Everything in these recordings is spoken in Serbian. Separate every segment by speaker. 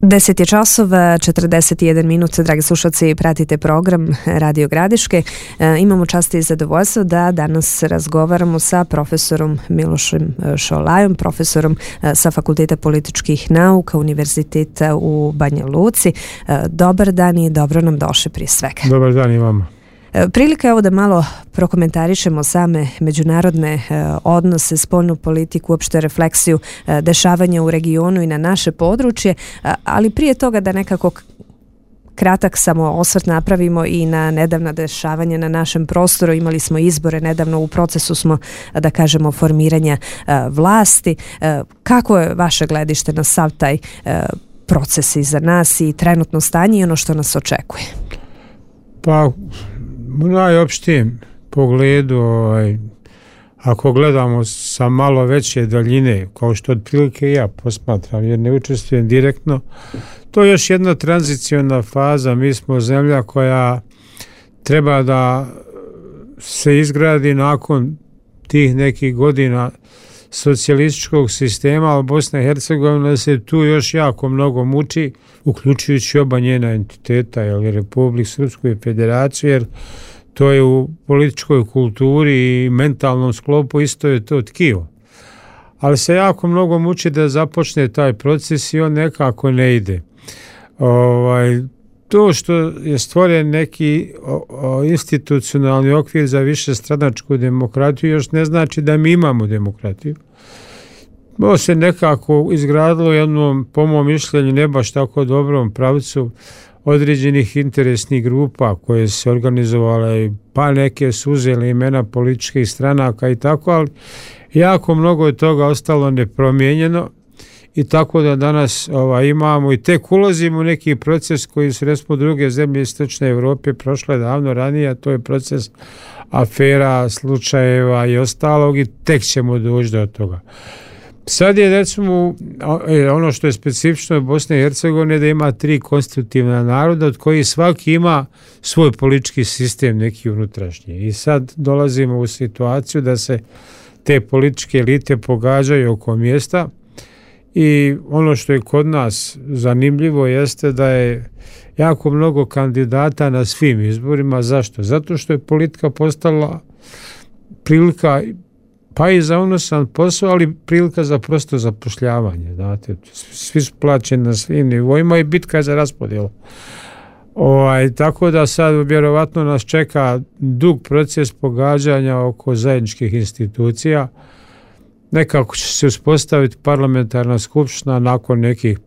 Speaker 1: 10 je časova, 41 minut, dragi slušalci, pratite program Radio Gradiške. Imamo čast i zadovoljstvo da danas razgovaramo sa profesorom Milošem Šolajom, profesorom sa Fakulteta političkih nauka Univerziteta u Banja Luci. Dobar dan i dobro nam došli prije svega.
Speaker 2: Dobar dan i vama.
Speaker 1: Prilika je ovo da malo prokomentarišemo same međunarodne odnose, spoljnu politiku, uopšte refleksiju dešavanja u regionu i na naše područje, ali prije toga da nekako kratak samo osvrt napravimo i na nedavna dešavanja na našem prostoru. Imali smo izbore nedavno, u procesu smo, da kažemo, formiranja vlasti. Kako je vaše gledište na sav taj proces iza nas i trenutno stanje i ono što nas očekuje?
Speaker 2: Pa, u najopštijem pogledu, ako gledamo sa malo veće daljine, kao što otprilike ja posmatram, jer ne učestvujem direktno, to je još jedna tranziciona faza. Mi smo zemlja koja treba da se izgradi nakon tih nekih godina socijalističkog sistema, ali Bosna i Hercegovina se tu još jako mnogo muči, uključujući oba njena entiteta, Republiku Srpsku i Federaciju, jer to je u političkoj kulturi i mentalnom sklopu isto je to tkivo. Ali se jako mnogo muči da započne taj proces i on nekako ne ide. To što je stvoren neki institucionalni okvir za višestranačku demokratiju još ne znači da mi imamo demokratiju. To se nekako izgradilo jednom, po mom mišljenju, ne baš tako dobrom pravcu određenih interesnih grupa koje se organizovale, pa neke su uzeli imena političkih stranaka i tako, ali jako mnogo je toga ostalo nepromijenjeno i tako da danas imamo i tek ulazimo u neki proces koji su recimo druge zemlje Istočne Europe prošle davno ranije, a to je proces afera, slučajeva i ostalog i tek ćemo doći do toga. Sad je recimo ono što je specifično Bosne i Hercegovine da ima 3 konstitutivna naroda od kojih svaki ima svoj politički sistem neki unutrašnji. I sad dolazimo u situaciju da se te političke elite pogađaju oko mjesta i ono što je kod nas zanimljivo jeste da je jako mnogo kandidata na svim izborima. Zašto? Zato što je politika postala prilika pa i za unosan posao, ali prilika za prosto zapošljavanje. Znate, svi su plaćeni na svim nivoima i bitka je za raspodjelu. Tako da sad vjerovatno nas čeka dug proces pogađanja oko zajedničkih institucija. Nekako će se uspostaviti parlamentarna skupština nakon nekih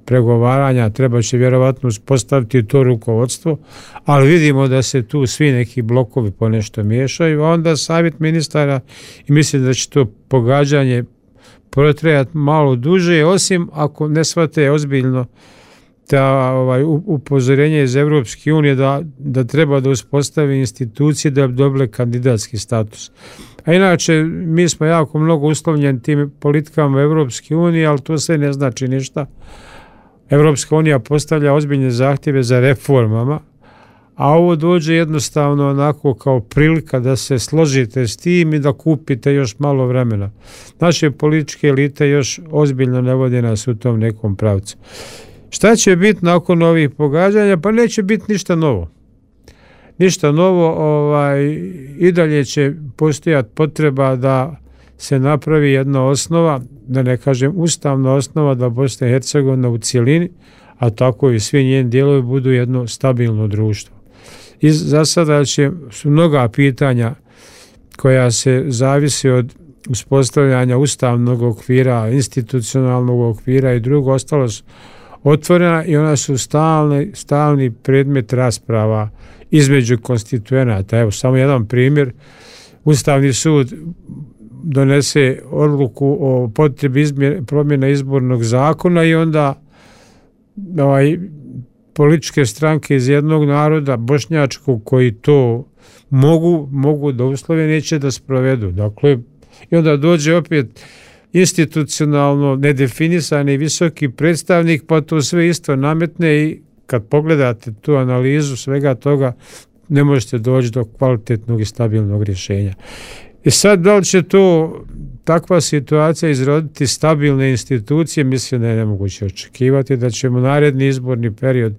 Speaker 2: pregovaranja, treba će vjerovatno uspostaviti to rukovodstvo, ali vidimo da se tu svi neki blokovi po nešto miješaju, a onda savjet ministara i mislim da će to pogađanje protrajati malo duže, osim ako ne shvate ozbiljno da upozorenje iz Europske unije da treba da uspostavi institucije da bi dobile kandidatski status. A inače, mi smo jako mnogo uslovljeni tim politikama Europske unije, ali to sve ne znači ništa. Europska unija postavlja ozbiljne zahtjeve za reformama, a ovo dođe jednostavno onako kao prilika da se složite s tim i da kupite još malo vremena. Naše političke elite još ozbiljno ne vode nas u tom nekom pravcu. Šta će biti nakon ovih pogađanja? Pa neće biti ništa novo. Ništa novo, i dalje će postojati potreba da se napravi jedna osnova, da ne kažem ustavna osnova, da Bosna i Hercegovina u cjelini, a tako i svi njeni dijelovi budu jedno stabilno društvo. I za sada su mnoga pitanja koja se zavisi od uspostavljanja ustavnog okvira, institucionalnog okvira i drugo, ostalo su otvorena i ona su stalni predmet rasprava između konstituenata. Evo, samo jedan primjer. Ustavni sud donese odluku o potrebi promjena izbornog zakona i onda političke stranke iz jednog naroda, bošnjačkog, koji to mogu da uslove, neće da sprovedu. Dakle, i onda dođe opet institucionalno nedefinisani visoki predstavnik, pa to sve isto nametne i kad pogledate tu analizu svega toga, ne možete doći do kvalitetnog i stabilnog rješenja. I sad, da li će to takva situacija izroditi stabilne institucije, mislim da je nemoguće očekivati da ćemo naredni izborni period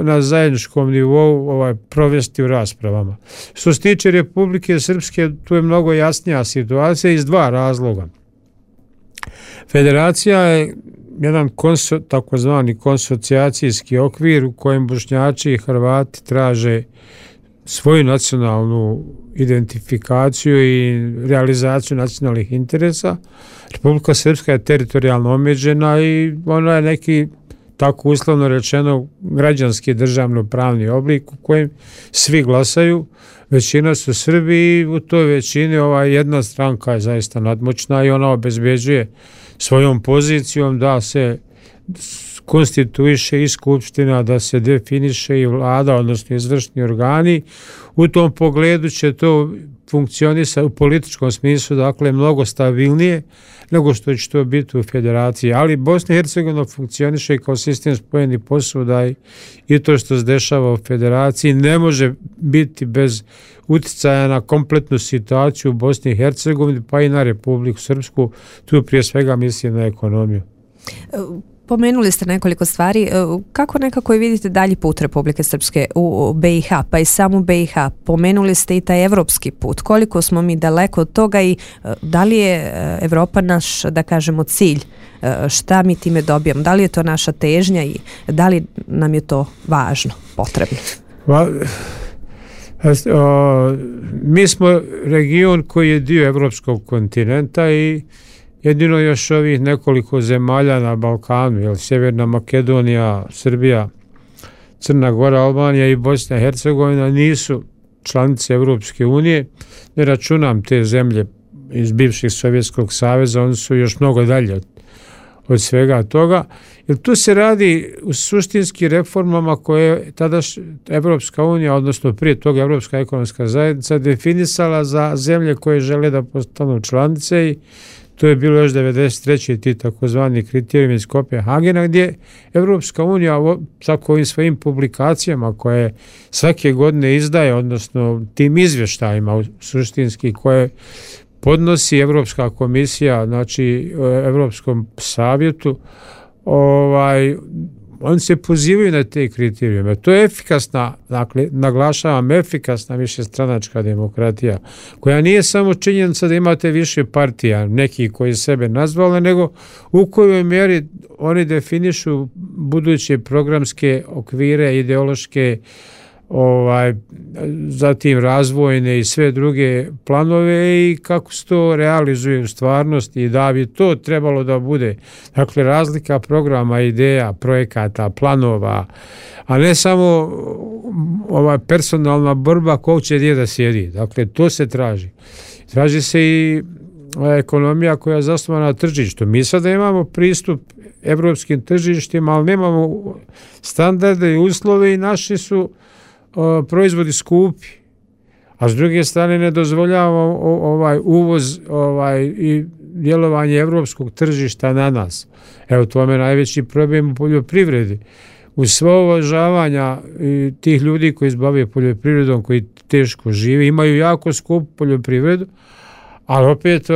Speaker 2: na zajedničkom nivou provesti u raspravama. Što se tiče Republike Srpske, tu je mnogo jasnija situacija iz dva razloga. Federacija je jedan takozvani konsocijacijski okvir u kojem Bošnjaci i Hrvati traže svoju nacionalnu identifikaciju i realizaciju nacionalnih interesa. Republika Srpska je teritorijalno omeđena i ona je neki, tako uslovno rečeno, građanski državno-pravni oblik u kojem svi glasaju. Većina su Srbi i u toj većini jedna stranka je zaista nadmoćna i ona obezbeđuje svojom pozicijom da se konstituiše i skupština, da se definiše i vlada, odnosno izvršni organi. U tom pogledu će to funkcionisati u političkom smislu, dakle, mnogo stabilnije nego što će to biti u federaciji. Ali Bosna i Hercegovina funkcioniše kao sistem spojenih posuda i to što se dešava u federaciji ne može biti bez utjecaja na kompletnu situaciju u Bosni i Hercegovini, pa i na Republiku Srpsku. Tu prije svega mislim na ekonomiju.
Speaker 1: Pomenuli ste nekoliko stvari. Kako nekako vidite dalji put Republike Srpske u BiH, pa i samu BiH? Pomenuli ste i taj evropski put. Koliko smo mi daleko od toga i da li je Evropa naš, da kažemo, cilj? Šta mi time dobijamo? Da li je to naša težnja i da li nam je to važno, potrebno?
Speaker 2: Mi smo region koji je dio evropskog kontinenta i jedino još ovih nekoliko zemalja na Balkanu, Sjeverna Makedonija, Srbija, Crna Gora, Albanija i Bosna i Hercegovina nisu članice Evropske unije. Ne računam te zemlje iz bivšeg Sovjetskog saveza, oni su još mnogo dalje od svega toga. Jer tu se radi u suštinskim reformama koje je tada Evropska unija, odnosno prije toga Evropska ekonomska zajednica, definisala za zemlje koje žele da postanu članice i to je bilo još 93. ti takozvani kriterijumi iz Kopenhagena, gdje Evropska unija sa ovim svojim publikacijama koje svake godine izdaje, odnosno tim izvještajima suštinski koje podnosi Evropska komisija, znači Evropskom savjetu, oni se pozivaju na te kriterijume. To je efikasna, dakle, naglašavam, efikasna višestranačka demokratija, koja nije samo činjenica da imate više partija, neki koji sebe nazvali, nego u kojoj mjeri oni definišu buduće programske okvire, ideološke, zatim razvojne i sve druge planove i kako se to realizuje u stvarnosti i da bi to trebalo da bude, dakle, razlika programa, ideja, projekata, planova, a ne samo personalna borba ko će gdje da sjedi. Dakle, to se traži. Traži se i ekonomija koja je zasnovana na tržištu. Mi sada imamo pristup evropskim tržištima, ali nemamo standarde i uslove i naši su proizvodi skupi, a s druge strane ne dozvoljavamo uvoz i djelovanje evropskog tržišta na nas. Evo, to je najveći problem u poljoprivredi. Uz svo uvažavanja tih ljudi koji se bave poljoprivredom, koji teško žive, imaju jako skupu poljoprivredu, ali opet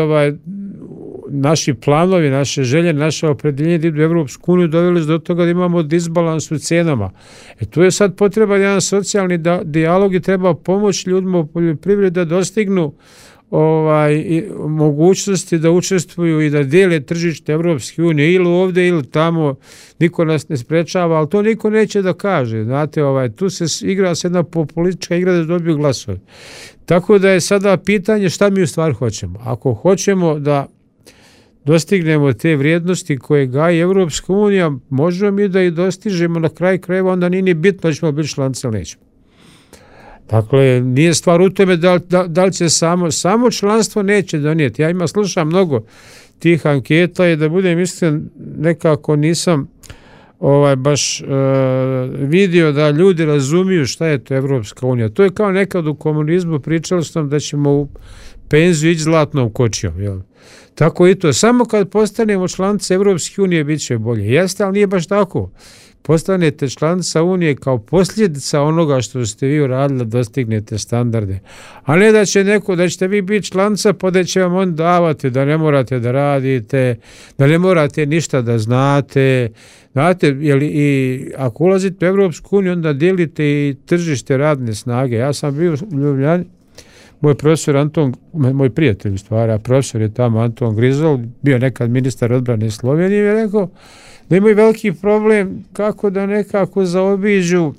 Speaker 2: naši planovi, naše želje, naše opredjeljenje da idu u Evropsku uniju doveli do toga da imamo disbalans u cijenama. Tu je sad potreban jedan socijalni dijalog i treba pomoći ljudima u poljoprivredi da dostignu mogućnosti da učestvuju i da dijele tržište Evropske unije ili ovdje ili tamo. Niko nas ne sprečava, ali to niko neće da kaže. Znate, tu se igra jedna politička igra da dobiju glasove. Tako da je sada pitanje šta mi u stvari hoćemo. Ako hoćemo da dostignemo te vrijednosti koje gaji Evropska unija, možemo mi da i dostižemo na kraju krajeva, onda nije ni bitno da ćemo biti članice ili nećemo. Dakle, nije stvar u tome da li će samo članstvo neće donijeti. Ja slušam mnogo tih anketa i da budem iskren, nekako nisam baš vidio da ljudi razumiju šta je to Evropska unija. To je kao nekad u komunizmu, pričali smo da ćemo u penziju ići zlatnom kočijom. Jel? Tako i to. Samo kad postanemo članice Evropske unije bit će bolje. Jeste, ali nije baš tako. Postanete članica Unije kao posljedica onoga što ste vi uradili da dostignete standarde. A ne da će da ćete vi biti članica pa da će vam on davati da ne morate da radite, da ne morate ništa da znate. Znate, i ako ulazite u Evropsku uniju, onda dijelite i tržište radne snage. Ja sam bio u Ljubljani, moj profesor Anton, moj prijatelj u stvari, a profesor je tamo Anton Grizol, bio nekad ministar odbrane Slovenije, i je rekao da imaju veliki problem kako da nekako zaobiđu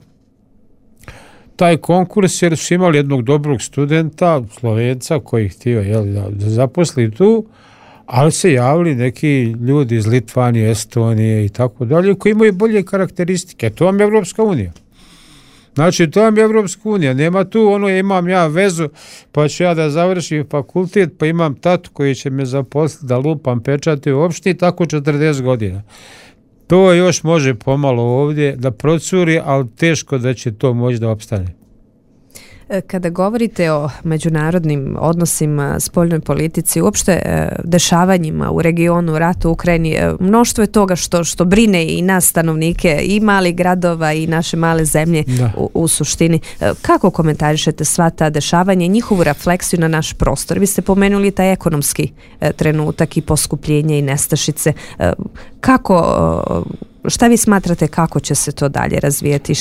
Speaker 2: taj konkurs, jer su imali jednog dobrog studenta, Slovenca, koji je htio da zaposli tu, ali se javili neki ljudi iz Litvanije, Estonije i tako dalje, koji imaju bolje karakteristike. To vam je Evropska unija. Znači, to vam je Evropska unija. Nema tu imam ja vezu, pa ću ja da završim fakultet, pa imam tatu koji će me zaposliti da lupam pečate u opštini, tako 40 godina. To još može pomalo ovdje da procuri, ali teško da će to moći da opstane.
Speaker 1: Kada govorite o međunarodnim odnosima, spoljnoj politici, uopšte dešavanjima u regionu, ratu u Ukrajini, mnoštvo je toga što brine i nas stanovnike i malih gradova i naše male zemlje u suštini. Kako komentarišete sva ta dešavanja i njihovu refleksiju na naš prostor? Vi ste pomenuli taj ekonomski trenutak i poskupljenje i nestašice. Šta vi smatrate kako će se to dalje razvijati?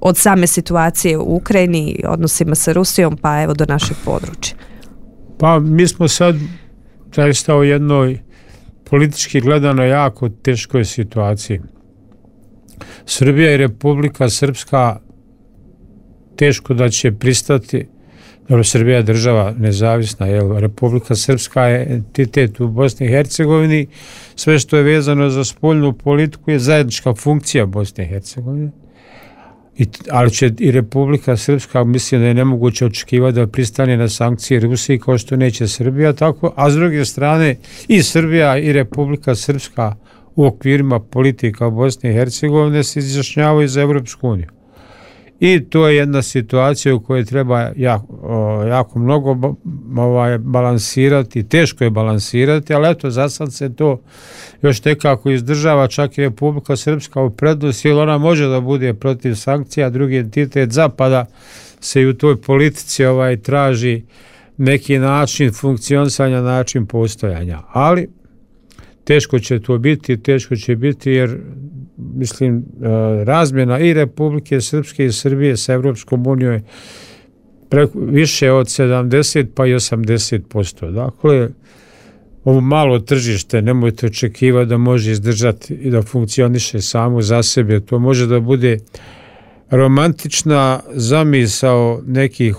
Speaker 1: Od same situacije u Ukrajini, odnosima sa Rusijom, pa evo do našeg područja.
Speaker 2: Pa mi smo sad zaista u jednoj politički gledano jako teškoj situaciji. Srbija i Republika Srpska teško da će pristati, dobro, Srbija je država nezavisna, Republika Srpska je entitet u Bosni i Hercegovini, sve što je vezano za spoljnu politiku je zajednička funkcija Bosne i Hercegovine. Ali će i Republika Srpska, mislim da je nemoguće očekivati da pristane na sankcije Rusiji kao što neće Srbija, tako, a s druge strane i Srbija i Republika Srpska u okvirima politika Bosne i Hercegovine se izjašnjavaju za Evropsku uniju. I to je jedna situacija u kojoj treba jako mnogo balansirati, teško je balansirati, ali eto, za sad se to još nekako izdržava, čak i Republika Srpska u prednosti, jer ona može da bude protiv sankcija, drugi entitet Zapada se i u toj politici traži neki način funkcionisanja, način postojanja. Ali teško će to biti jer mislim razmjena i Republike Srpske i Srbije sa Evropskom unijom je više od 70 pa i 80%. Dakle, ovo malo tržište nemojte očekivati da može izdržati i da funkcioniše samo za sebe. To može da bude romantična zamisao nekih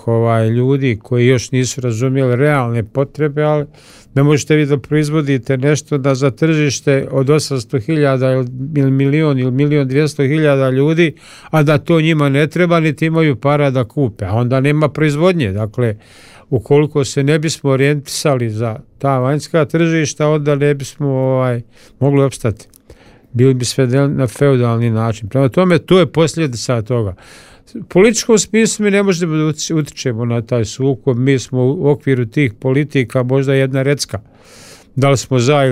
Speaker 2: ljudi koji još nisu razumjeli realne potrebe, ali ne možete vi da proizvodite nešto da za tržište od 800.000 ili milion ili 1.200.000 ljudi, a da to njima ne treba, niti imaju para da kupe, a onda nema proizvodnje. Dakle, ukoliko se ne bismo orijentisali za ta vanjska tržišta, onda ne bismo mogli opstati. Bili bi sve na feudalni način. Prema tome, to je posljedica toga. U političkom smislu mi ne možemo da utičemo na taj sukob, mi smo u okviru tih politika možda jedna recka. Da li smo za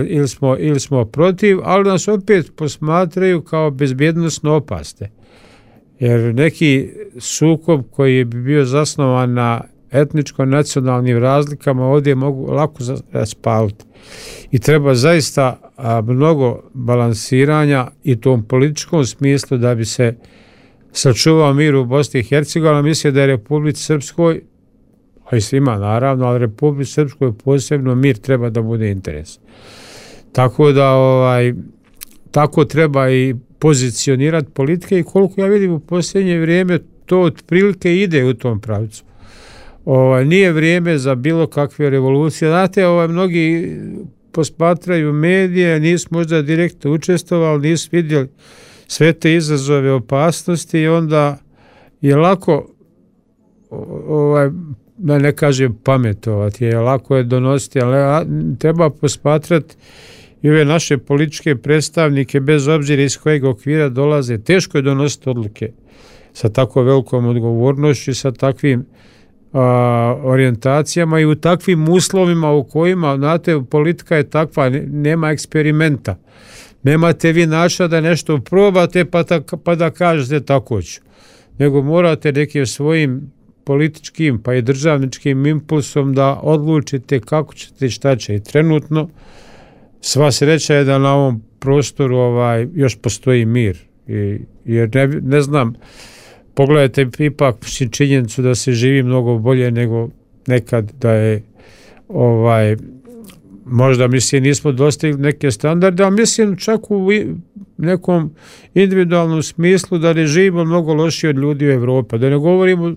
Speaker 2: ili smo protiv, ali nas opet posmatraju kao bezbjednosno opasne. Jer neki sukob koji bi bio zasnovan na etničko-nacionalnim razlikama ovdje mogu lako raspaliti. I treba zaista mnogo balansiranja i tom političkom smislu da bi se sačuvao mir u Bosni i Hercegovini. Mislim da je Republici Srpskoj, a i svima naravno, ali Republici Srpskoj posebno mir treba da bude interes. Tako da tako treba i pozicionirati politike i koliko ja vidim u posljednje vrijeme to otprilike ide u tom pravcu. Nije vrijeme za bilo kakve revolucije. Znate, mnogi posmatraju medije, nisu možda direktno učestvovali, nisu vidjeli sve te izazove, opasnosti i onda je lako, da ne kažem pametovati, je lako je donositi, ali treba posmatrati i ove naše političke predstavnike, bez obzira iz kojeg okvira dolaze. Teško je donositi odluke sa tako velikom odgovornošću i sa takvim orijentacijama i u takvim uslovima u kojima, znate, politika je takva, nema eksperimenta. Nemate vi načina da nešto probate pa da kažete tako ću. Nego morate nekim svojim političkim pa i državničkim impulsom da odlučite kako ćete i šta će. I trenutno sva sreća je da na ovom prostoru još postoji mir. Jer ne znam, pogledajte ipak činjenicu da se živi mnogo bolje nego nekad, da je možda nismo dostigli neke standarde, ali mislim čak u nekom individualnom smislu da ne živimo mnogo lošije od ljudi u Evropi. Da ne govorimo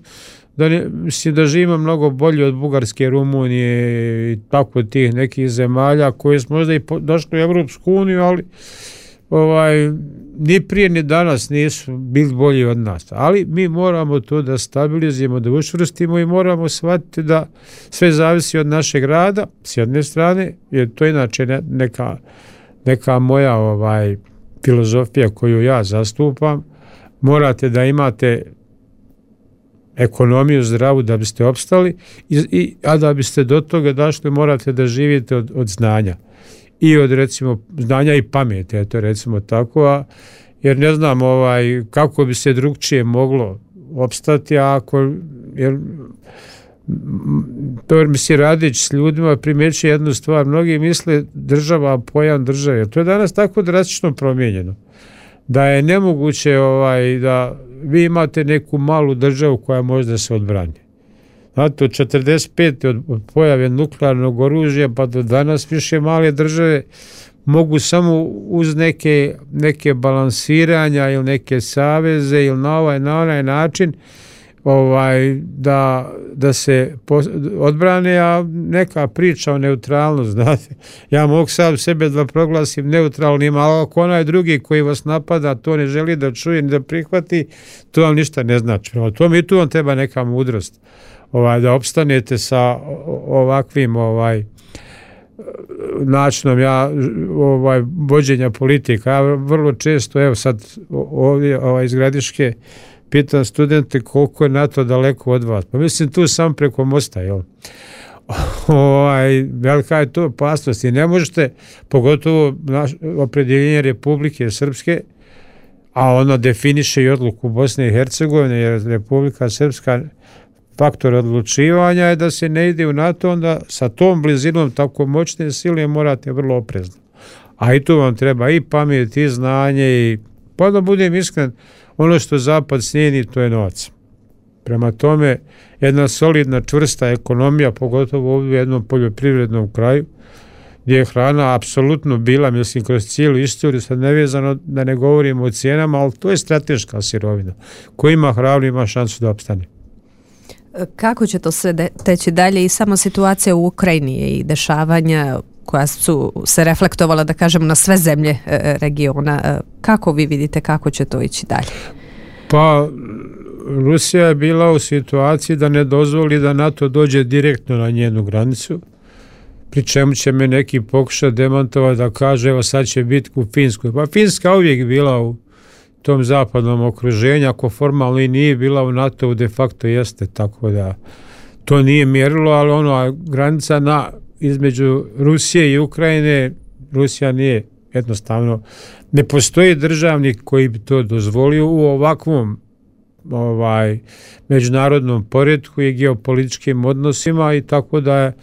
Speaker 2: da živimo mnogo bolje od Bugarske, Rumunije i tako tih nekih zemalja koje smo možda i došli u Evropsku uniju, ali ni prije ni danas nisu bili bolji od nas. Ali mi moramo to da stabilizujemo, da učvrstimo i moramo shvatiti da sve zavisi od našeg rada s jedne strane, jer to je inače neka moja filozofija koju ja zastupam. Morate da imate ekonomiju zdravu da biste opstali, a da biste do toga došli morate da živite od znanja. I od recimo znanja i pameti, eto recimo tako, jer ne znam kako bi se drugčije moglo opstati, jer mislim radeći s ljudima primjećuje jednu stvar, mnogi misle država, pojam države, to je danas tako drastično promijenjeno, da je nemoguće da vi imate neku malu državu koja može da se odbrani. Znate, od 45. od pojave nuklearnog oružja pa do danas više male države mogu samo uz neke balansiranja ili neke saveze ili na onaj način da se odbrane, a neka priča o neutralnosti, znate. Ja mogu sam sebe da proglasim neutralnim, ali ako onaj drugi koji vas napada to ne želi da čuje ni da prihvati, to vam ništa ne znači. To mi tu vam treba neka mudrost. Da opstanete sa ovakvim načinom vođenja politika. Ja vrlo često, evo sad ovdje iz Gradiške, pitam studente koliko je NATO daleko od vas. Pa mislim tu sam preko mosta, jel? Velika je to opasnost i ne možete, pogotovo opredjeljenje Republike Srpske, a ona definiše i odluku Bosne i Hercegovine, jer Republika Srpska faktor odlučivanja je da se ne ide u NATO, onda sa tom blizinom tako moćne sile morate vrlo oprezno. A i tu vam treba i pamet, i znanje, i pa da budem iskren, ono što Zapad cijeni, to je novac. Prema tome, jedna solidna, čvrsta ekonomija, pogotovo ovdje u jednom poljoprivrednom kraju, gdje je hrana apsolutno bila, mislim, kroz cijelu istoriju, sad nevezano da ne govorimo o cijenama, ali to je strateška sirovina. Ko ima hranu, ima šansu da opstane.
Speaker 1: Kako će to sve teći dalje i samo situacija u Ukrajini i dešavanja koja su se reflektovala, da kažemo, na sve zemlje regiona. Kako vi vidite kako će to ići dalje?
Speaker 2: Pa Rusija je bila u situaciji da ne dozvoli da NATO dođe direktno na njenu granicu, pri čemu će me neki pokušati demantovati da kaže evo sad će biti u Finskoj. Pa Finska uvijek bila u tom zapadnom okruženju, ako formalno i nije bila u NATO, de facto jeste, tako da to nije mjerilo, ali granica između Rusije i Ukrajine, Rusija nije jednostavno, ne postoji državnik koji bi to dozvolio u ovakvom međunarodnom poretku i geopolitičkim odnosima, i tako da je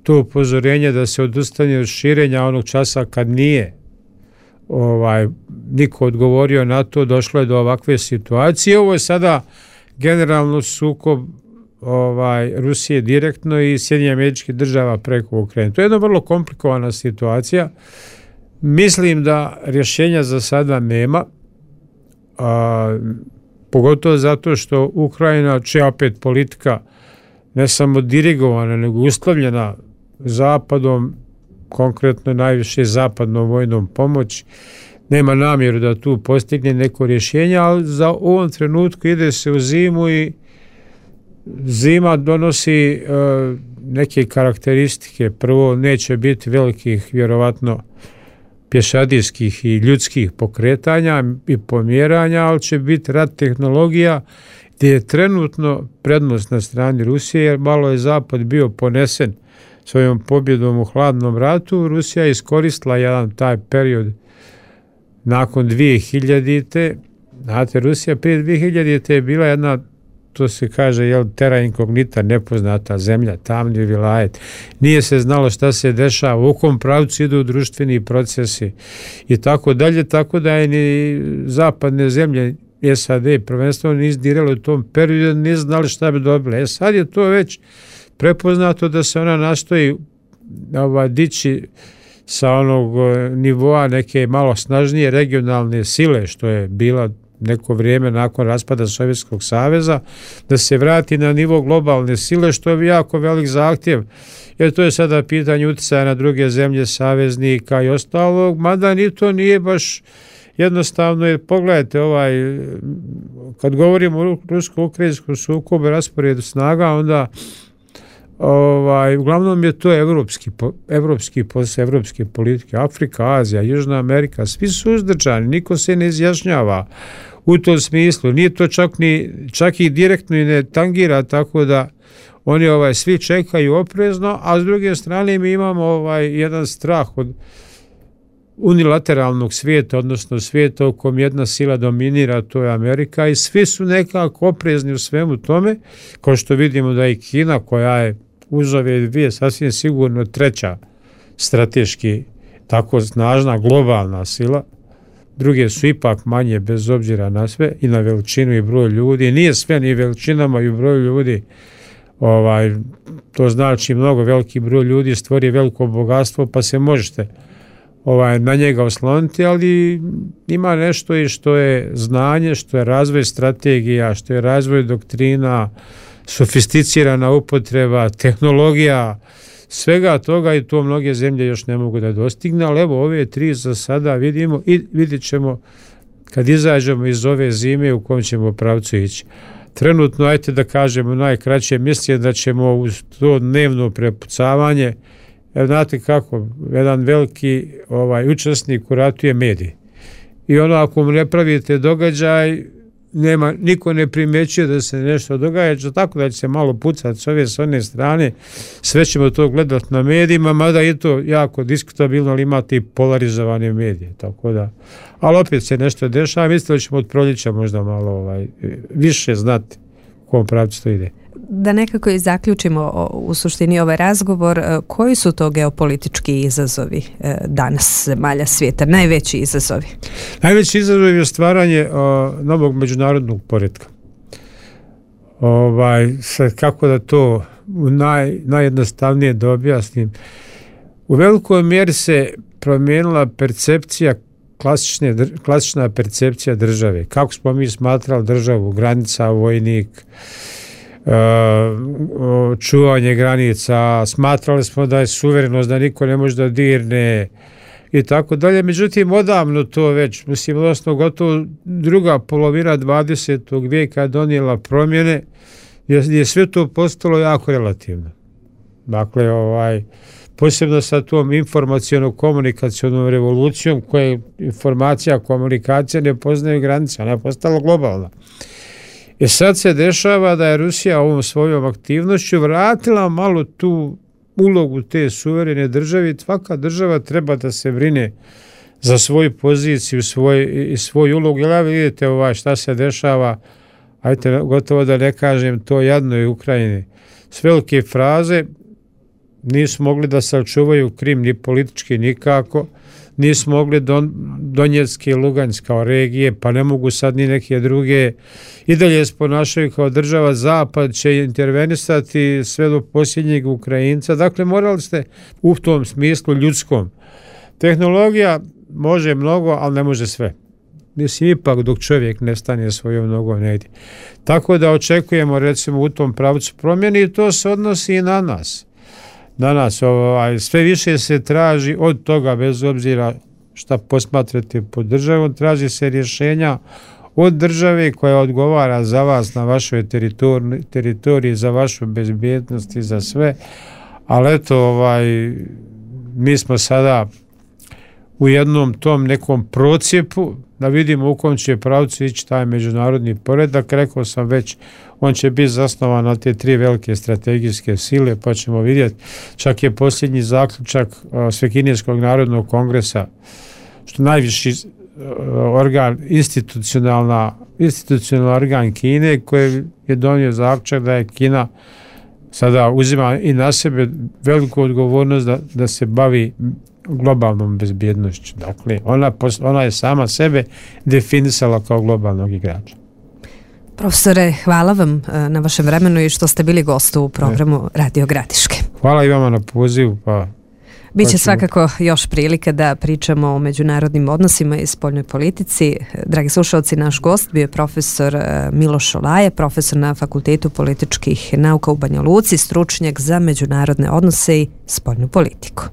Speaker 2: to upozorenje da se odustane od širenja onog časa kad nije niko odgovorio na to, došlo je do ovakve situacije. Ovo je sada generalno sukob Rusije direktno i Sjedinjenih Američkih Država preko Ukrajine. To je jedna vrlo komplikovana situacija. Mislim da rješenja za sada nema, pogotovo zato što Ukrajina, čija opet politika ne samo dirigovana, nego uslovljena Zapadom, konkretno najviše zapadnom vojnom pomoć, nema namjeru da tu postigne neko rješenje, ali za ovom trenutku ide se u zimu i zima donosi neke karakteristike. Prvo, neće biti velikih, vjerovatno, pješadijskih i ljudskih pokretanja i pomjeranja, ali će biti rat tehnologija. gdje je trenutno prednost na strani Rusije, jer malo je Zapad bio ponesen svojom pobjedom u hladnom ratu. Rusija je iskoristila jedan taj period nakon 2000. Znate, Rusija prije 2000. je bila jedna, to se kaže, terra incognita, nepoznata zemlja, tamni vilajet. Nije se znalo šta se dešava, u kom pravcu idu društveni procesi i tako dalje, tako da je ni zapadne zemlje SAD prvenstveno nisu dirale u tom periodu, nisu znali šta bi dobile. Sad je to već prepoznato da se ona nastoji dići sa onog nivoa neke malo snažnije regionalne sile, što je bila neko vrijeme nakon raspada Sovjetskog saveza, da se vrati na nivo globalne sile, što je jako velik zahtjev, jer to je sada pitanje utjecaja na druge zemlje, saveznika i ostalog, mada ni to nije baš jednostavno, jer pogledajte, kad govorimo o rusko-ukrajinskom sukobu, rasporedu snaga, onda uglavnom je to evropski posao, evropske politike, Afrika, Azija, Južna Amerika, svi su uzdržani, niko se ne izjašnjava u tom smislu, nije to čak i direktno i ne tangira, tako da oni svi čekaju oprezno, a s druge strane mi imamo jedan strah od unilateralnog svijeta, odnosno svijeta u kom jedna sila dominira, to je Amerika, i svi su nekako oprezni u svemu tome, kao što vidimo da i Kina, koja je uz ove dvije sasvim sigurno treća strateški tako snažna globalna sila, druge su ipak manje bez obzira na sve i na veličinu i broj ljudi. Nije sve ni veličinama i broju ljudi, to znači mnogo veliki broj ljudi stvori veliko bogatstvo, pa se možete na njega osloniti, ali ima nešto i što je znanje, što je razvoj strategija, što je razvoj doktrina, sofisticirana upotreba, tehnologija, svega toga, i to mnoge zemlje još ne mogu da dostigne, ali evo ove tri za sada vidimo i vidjet ćemo kad izađemo iz ove zime u kom ćemo pravcu ići. Trenutno, ajte da kažemo najkraće, mislim da ćemo uz to dnevno prepucavanje, znate kako, jedan veliki učesnik u ratu je medij. I ako mu ne pravite događaj, niko ne primjećuje da se nešto događa, tako da će se malo pucati s one strane, sve ćemo to gledati na medijima, mada je to jako diskutabilno, ali imate i polarizovane medije, tako da, ali opet se nešto dešava, mislim da ćemo od proljeća možda malo više znati u kom pravcu to ide.
Speaker 1: Da nekako i zaključimo u suštini ovaj razgovor, koji su to geopolitički izazovi danas zemalja svijeta, najveći izazovi?
Speaker 2: Najveći izazov je stvaranje novog međunarodnog poretka. Kako da to najjednostavnije da objasnim. U velikoj mjeri se promijenila percepcija, klasična percepcija države. Kako smo mi smatrali državu, granica, vojnik, čuvanje granica, smatrali smo da je suverenost, da niko ne može da dirne i tako dalje. Međutim, odavno to već, odnosno gotovo druga polovina 20. vijeka donijela promjene, je sve to postalo jako relativno. Dakle, posebno sa tom informaciono-komunikacionom revolucijom, koja informacija, komunikacija ne poznaju granice, ona je postala globalna. I sad se dešava da je Rusija ovom svojom aktivnošću vratila malo tu ulogu te suverene države. Svaka država treba da se brine za svoju poziciju i svoj ulog. Jel vidite šta se dešava, ajte gotovo da ne kažem to jadnoj Ukrajini. S velike fraze nisu mogli da sačuvaju Krim ni politički nikako, nisu mogli Donjecki i Lugansk kao regije, pa ne mogu sad ni neke druge. I dalje se ponašaju kao država, Zapad će intervenisati sve do posljednjeg Ukrajinca. Dakle, morali ste u tom smislu ljudskom. Tehnologija može mnogo, ali ne može sve. Mislim, ipak dok čovjek ne stane svojom nogom negdje. Tako da očekujemo recimo u tom pravcu promjeni i to se odnosi i na nas. Danas sve više se traži od toga, bez obzira šta posmatrate pod državom, traži se rješenja od države koja odgovara za vas na vašoj teritoriji, za vašu bezbjednost i za sve. Ali eto, mi smo sada u jednom tom nekom procijepu, da vidimo u kom će pravcu ići taj međunarodni poredak. Rekao sam već, on će biti zasnovan na te 3 velike strategijske sile, pa ćemo vidjeti. Čak je posljednji zaključak Svekineskog narodnog kongresa, što najviši organ, institucionalni organ Kine, koji je donio zaključak da je Kina sada uzima i na sebe veliku odgovornost da se bavi globalnom bezbjednošću. Dakle, ona je sama sebe definisala kao globalnog igrača.
Speaker 1: Profesore, hvala vam na vašem vremenu i što ste bili gost u programu Radio Gradiške.
Speaker 2: Hvala i vama na pozivu.
Speaker 1: Biće svakako još prilike da pričamo o međunarodnim odnosima i spoljnoj politici. Dragi slušalci, naš gost bio je profesor Miloš Olaja, profesor na Fakultetu političkih nauka u Banja Luci, stručnjak za međunarodne odnose i spoljnu politiku.